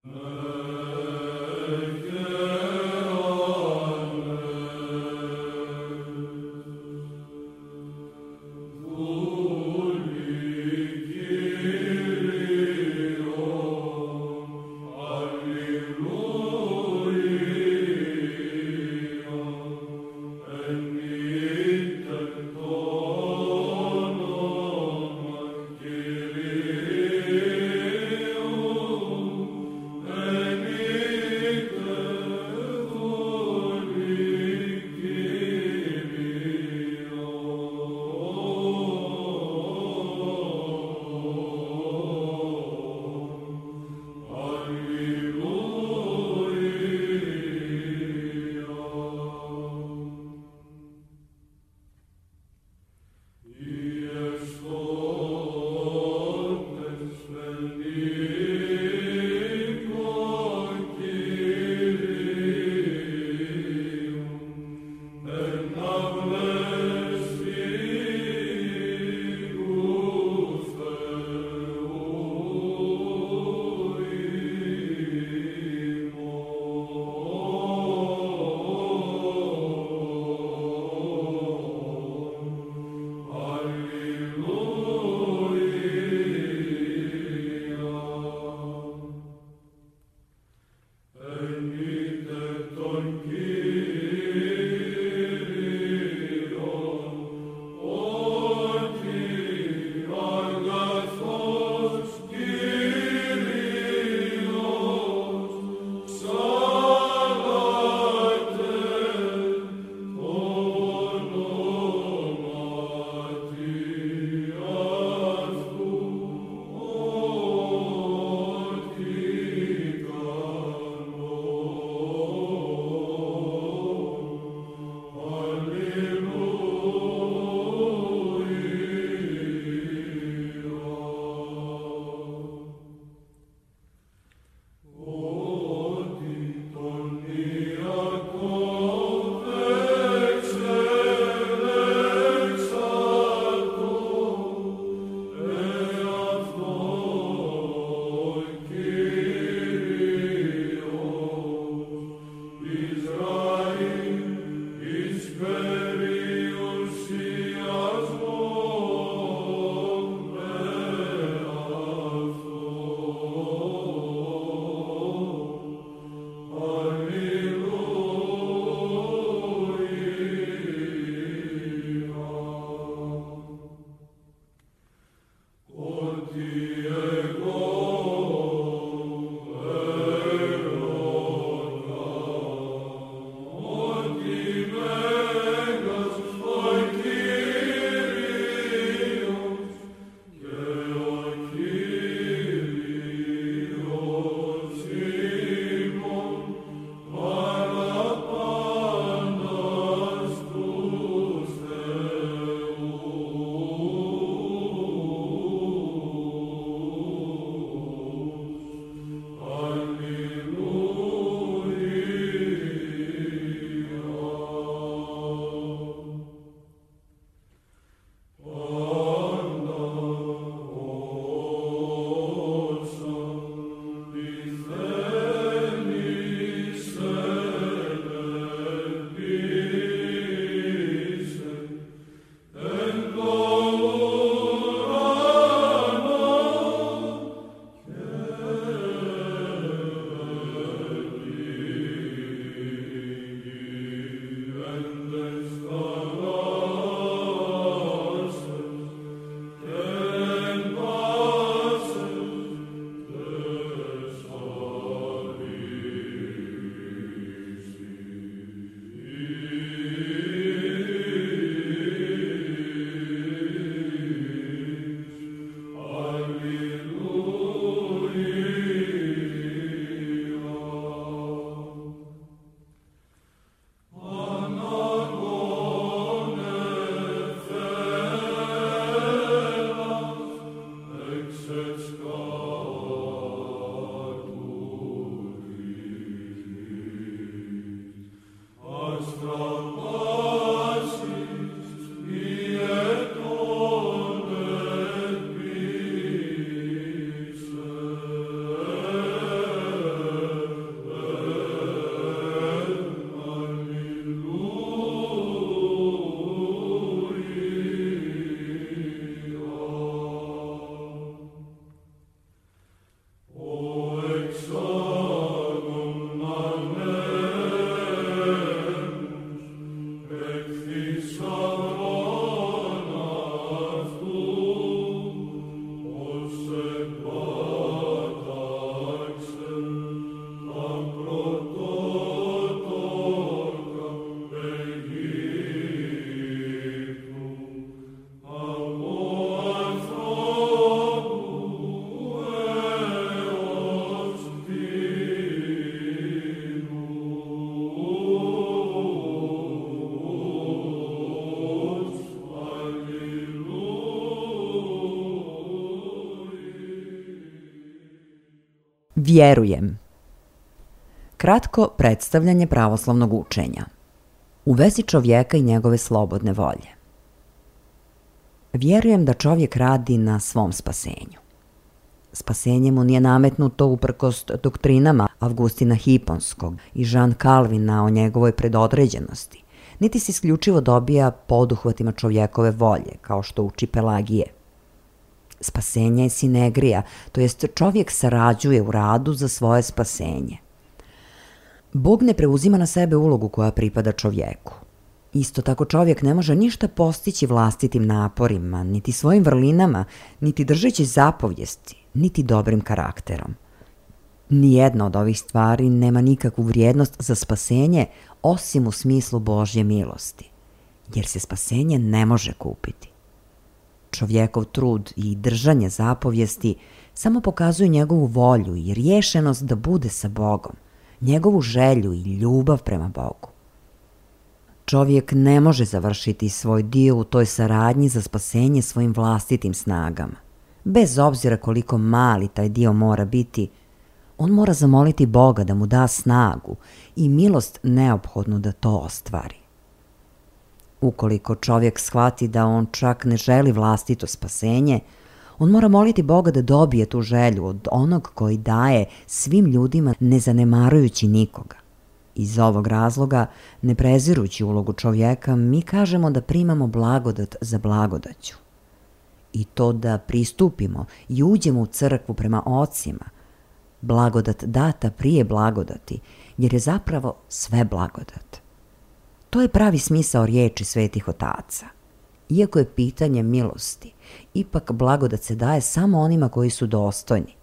Alleluia. Vjerujem. Kratko predstavljanje pravoslavnog učenja. U vezi čovjeka i njegove slobodne volje. Vjerujem da čovjek radi na svom spasenju. Spasenje mu nije nametnuto uprkos doktrinama Avgustina Hiponskog i Jean Calvina o njegovoj predodređenosti, niti se isključivo dobija poduhvatima čovjekove volje, kao što uči Pelagije. Spasenje je sinegrija, to jest čovjek sarađuje u radu za svoje spasenje. Bog ne preuzima na sebe ulogu koja pripada čovjeku. Isto tako čovjek ne može ništa postići vlastitim naporima, niti svojim vrlinama, niti držeći zapovijesti, niti dobrim karakterom. Nijedna od ovih stvari nema nikakvu vrijednost za spasenje osim u smislu Božje milosti, jer se spasenje ne može kupiti. Čovjekov trud i držanje zapovijesti samo pokazuju njegovu volju i rješenost da bude sa Bogom, njegovu želju i ljubav prema Bogu. Čovjek ne može završiti svoj dio u toj saradnji za spasenje svojim vlastitim snagama. Bez obzira koliko mali taj dio mora biti, on mora zamoliti Boga da mu da snagu i milost neophodnu da to ostvari. Ukoliko čovjek shvati da on čak ne želi vlastito spasenje, on mora moliti Boga da dobije tu želju od onog koji daje svim ljudima ne zanemarujući nikoga. Iz ovog razloga, ne prezirući ulogu čovjeka, mi kažemo da primamo blagodat za blagodaću. I to da pristupimo i uđemo u crkvu prema ocima, blagodat data prije blagodati, jer je zapravo sve blagodat. To je pravi smisao riječi svetih otaca. Iako je pitanje milosti, ipak blagodat se daje samo onima koji su dostojni.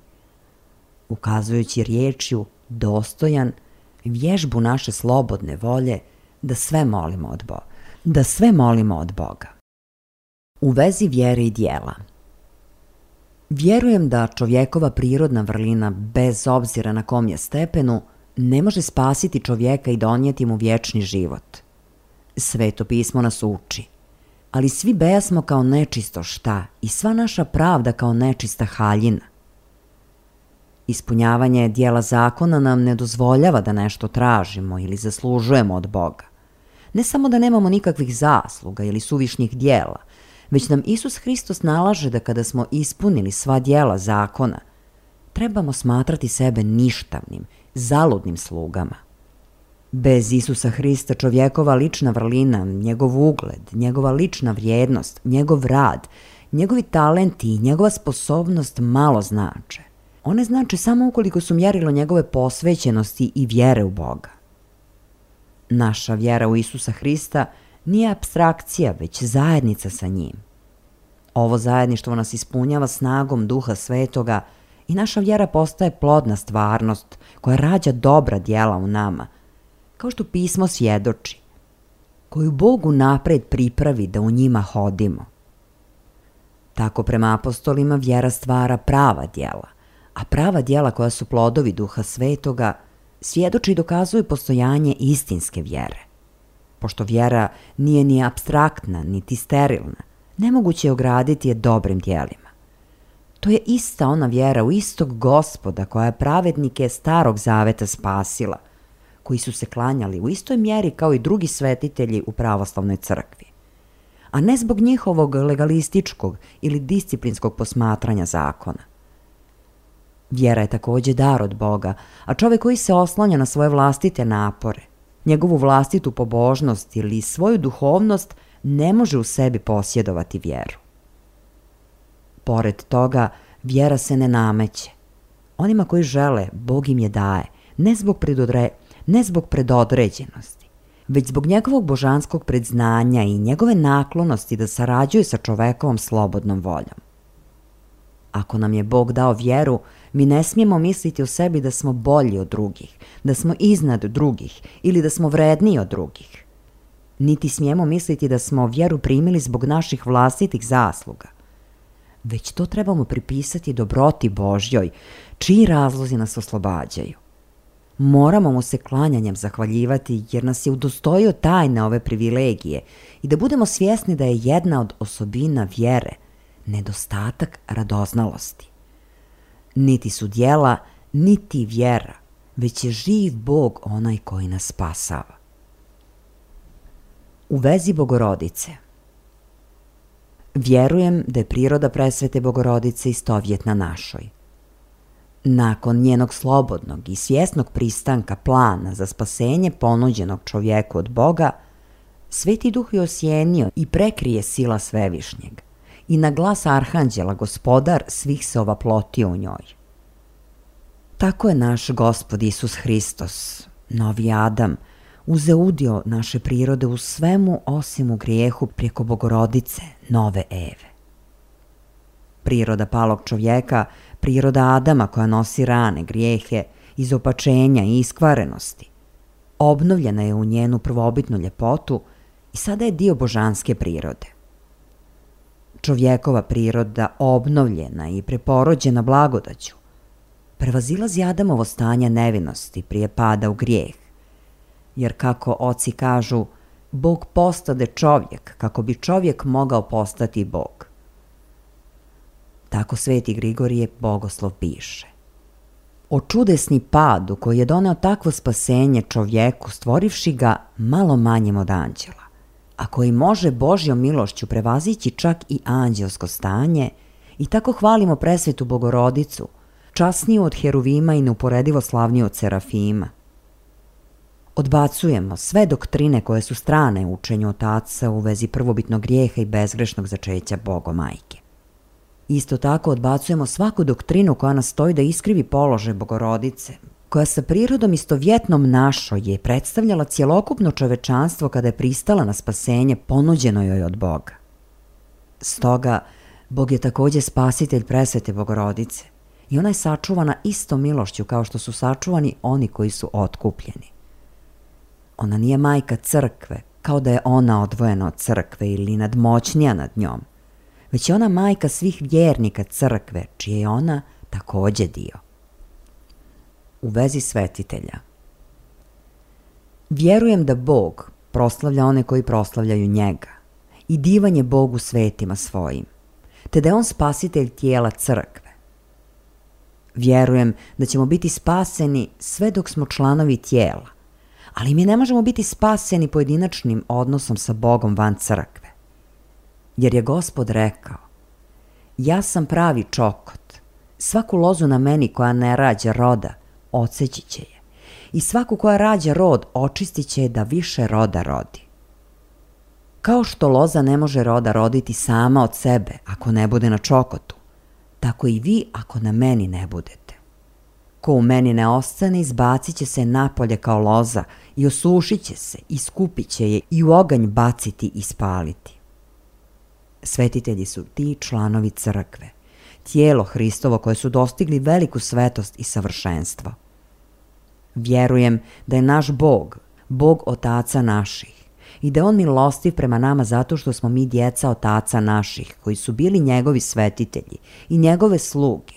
Ukazujući riječju dostojan, vježbu naše slobodne volje da sve molimo od Boga. U vezi vjere i djela. Vjerujem da čovjekova prirodna vrlina, bez obzira na kom je stepenu, ne može spasiti čovjeka i donijeti mu vječni život. Sveto pismo nas uči, ali svi bejasmo kao nečisto šta i sva naša pravda kao nečista haljina. Ispunjavanje dijela zakona nam ne dozvoljava da nešto tražimo ili zaslužujemo od Boga. Ne samo da nemamo nikakvih zasluga ili suvišnih dijela, već nam Isus Hristos nalaže da kada smo ispunili sva dijela zakona, trebamo smatrati sebe ništavnim, zaludnim slugama. Bez Isusa Hrista čovjekova lična vrlina, njegov ugled, njegova lična vrijednost, njegov rad, njegovi talenti i njegova sposobnost malo znače. One znače samo ukoliko su mjerilo njegove posvećenosti i vjere u Boga. Naša vjera u Isusa Hrista nije apstrakcija, već zajednica sa njim. Ovo zajedništvo nas ispunjava snagom Duha Svetoga i naša vjera postaje plodna stvarnost koja rađa dobra djela u nama, kao što pismo svjedoči, koju Bog unaprijed pripravi da u njima hodimo. Tako prema apostolima vjera stvara prava djela, a prava djela koja su plodovi Duha Svetoga svjedoči i dokazuju postojanje istinske vjere. Pošto vjera nije ni apstraktna, niti sterilna, nemoguće je ograditi je dobrim djelima. To je ista ona vjera u istog Gospoda koja je pravednike Starog Zaveta spasila, koji su se klanjali u istoj mjeri kao i drugi svetitelji u pravoslavnoj crkvi, a ne zbog njihovog legalističkog ili disciplinskog posmatranja zakona. Vjera je također dar od Boga, a čovjek koji se oslanja na svoje vlastite napore, njegovu vlastitu pobožnost ili svoju duhovnost ne može u sebi posjedovati vjeru. Pored toga, vjera se ne nameće. Onima koji žele, Bog im je daje, ne zbog predodređenosti, već zbog njegovog božanskog predznanja i njegove naklonosti da sarađuje sa čovekovom slobodnom voljom. Ako nam je Bog dao vjeru, mi ne smijemo misliti o sebi da smo bolji od drugih, da smo iznad drugih ili da smo vredniji od drugih. Niti smijemo misliti da smo vjeru primili zbog naših vlastitih zasluga, već to trebamo pripisati dobroti Božjoj, čiji razlozi nas oslobađaju. Moramo mu se klanjanjem zahvaljivati jer nas je udostojio tajne ove privilegije i da budemo svjesni da je jedna od osobina vjere nedostatak radoznalosti. Niti su djela, niti vjera, već je živ Bog onaj koji nas spasava. U vezi Bogorodice. Vjerujem da je priroda presvete Bogorodice istovjetna našoj. Nakon njenog slobodnog i svjesnog pristanka plana za spasenje ponuđenog čovjeku od Boga, Sveti Duh je osjenio i prekrije sila Svevišnjeg i na glas Arhanđela Gospodar svih se ovaplotio u njoj. Tako je naš Gospod Isus Hristos, novi Adam, uzeo udio naše prirode u svemu osim u grijehu preko Bogorodice, nove Eve. Priroda palog čovjeka, priroda Adama koja nosi rane, grijehe, izopačenja i iskvarenosti, obnovljena je u njenu prvobitnu ljepotu i sada je dio božanske prirode. Čovjekova priroda, obnovljena i preporođena blagodaću, prevazilazi Adamovo stanje nevinosti prije pada u grijeh, jer kako oci kažu, Bog postade čovjek kako bi čovjek mogao postati Bog. Tako Sveti Grigorije Bogoslov piše. O čudesni padu koji je doneo takvo spasenje čovjeku stvorivši ga malo manjim od anđela, a koji može Božjom milošću prevazići čak i anđelsko stanje, i tako hvalimo presvetu Bogorodicu, časniju od heruvima i neuporedivo slavniju od serafima. Odbacujemo sve doktrine koje su strane učenju otaca u vezi prvobitnog grijeha i bezgrešnog začeća Bogomajke. Isto tako odbacujemo svaku doktrinu koja nastoji da iskrivi položaj Bogorodice, koja sa prirodom istovjetnom našoj je predstavljala cjelokupno čovečanstvo kada je pristala na spasenje ponuđeno joj od Boga. Stoga, Bog je također spasitelj presvete Bogorodice i ona je sačuvana istom milošću kao što su sačuvani oni koji su otkupljeni. Ona nije majka crkve, kao da je ona odvojena od crkve ili nadmoćnija nad njom, već je ona majka svih vjernika crkve, čije je ona također dio. U vezi svetitelja. Vjerujem da Bog proslavlja one koji proslavljaju njega i divan je Bogu svetima svojim, te da je on spasitelj tijela crkve. Vjerujem da ćemo biti spaseni sve dok smo članovi tijela, ali mi ne možemo biti spaseni pojedinačnim odnosom sa Bogom van crkve. Jer je Gospod rekao, ja sam pravi čokot, svaku lozu na meni koja ne rađa roda, odseći će je, i svaku koja rađa rod, očistit će je da više roda rodi. Kao što loza ne može roda roditi sama od sebe ako ne bude na čokotu, tako i vi ako na meni ne budete. Ko u meni ne ostane, izbacit će se napolje kao loza i osušit će se, i skupit će je i u oganj baciti i spaliti. Svetitelji su ti članovi crkve, tijelo Hristovo koje su dostigli veliku svetost i savršenstvo. Vjerujem da je naš Bog, Bog otaca naših, i da je on milostiv prema nama zato što smo mi djeca otaca naših, koji su bili njegovi svetitelji i njegove sluge,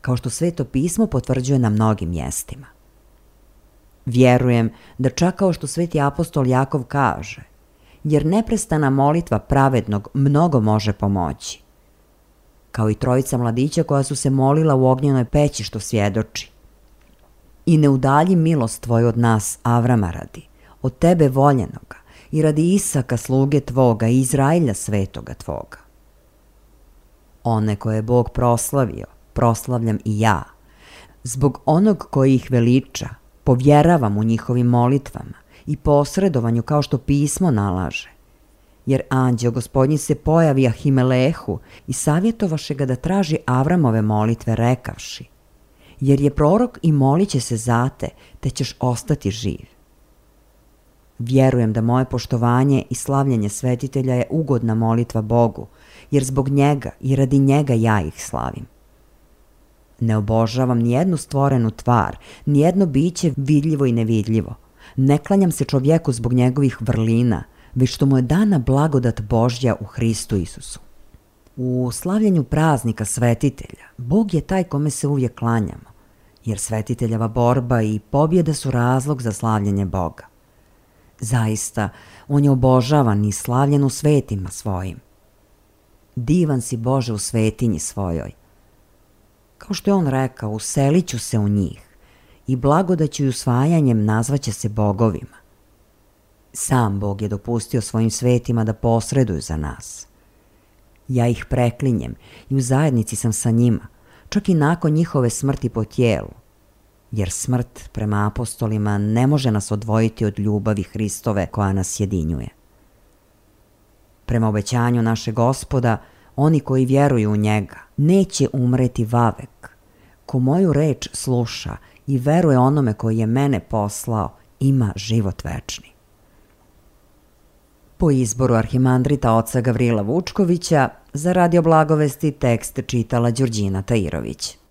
kao što Sveto pismo potvrđuje na mnogim mjestima. Vjerujem da čak kao što sveti apostol Jakov kaže, jer neprestana molitva pravednog mnogo može pomoći. Kao i trojica mladića koja su se molila u ognjenoj peći što svjedoči. I ne udalji milost tvoju od nas, Avrama radi, od tebe voljenoga, i radi Isaka sluge tvoga i Izrailja svetoga tvoga. One koje je Bog proslavio, proslavljam i ja. Zbog onog koji ih veliča, povjeravam u njihovim molitvama i posredovanju kao što pismo nalaže. Jer anđeo Gospodnji se pojavi Ahimelehu i savjetovaše ga da traži Avramove molitve rekavši, jer je prorok i molit će se za te, te ćeš ostati živ. Vjerujem da moje poštovanje i slavljenje svetitelja je ugodna molitva Bogu, jer zbog njega i radi njega ja ih slavim. Ne obožavam nijednu stvorenu tvar, nijedno biće vidljivo i nevidljivo. Ne klanjam se čovjeku zbog njegovih vrlina, već što mu je dana blagodat Božja u Hristu Isusu. U slavljenju praznika svetitelja, Bog je taj kome se uvijek klanjamo, jer svetiteljeva borba i pobjeda su razlog za slavljenje Boga. Zaista, on je obožavan i slavljen u svetima svojim. Divan si Bože u svetinji svojoj. Kao što je on rekao, uselit ću se u njih i blagodaću i usvajanjem nazvaće se bogovima. Sam Bog je dopustio svojim svetima da posreduju za nas. Ja ih preklinjem i u zajednici sam sa njima, čak i nakon njihove smrti po tijelu, jer smrt, prema apostolima, ne može nas odvojiti od ljubavi Hristove koja nas jedinjuje. Prema obećanju našeg Gospoda, oni koji vjeruju u njega neće umreti vavek. Ko moju reč sluša i veruje onome koji je mene poslao, ima život večni. Po izboru arhimandrita oca Gavrila Vučkovića, za Radio Blagovesti tekst čitala Đurđina Tairović.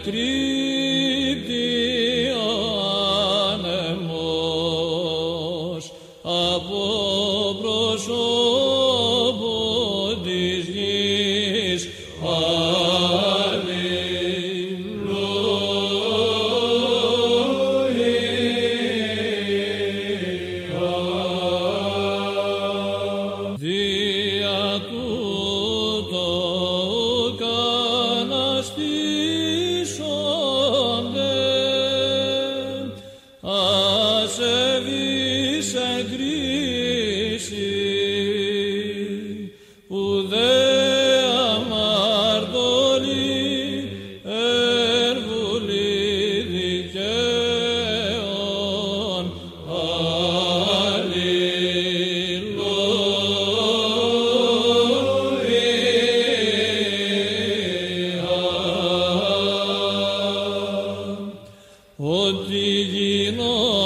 Criptianem ασεβείς εν κρίση, ουδέ αμαρτωλή εν βουλή δικαίων. Ότι γινώ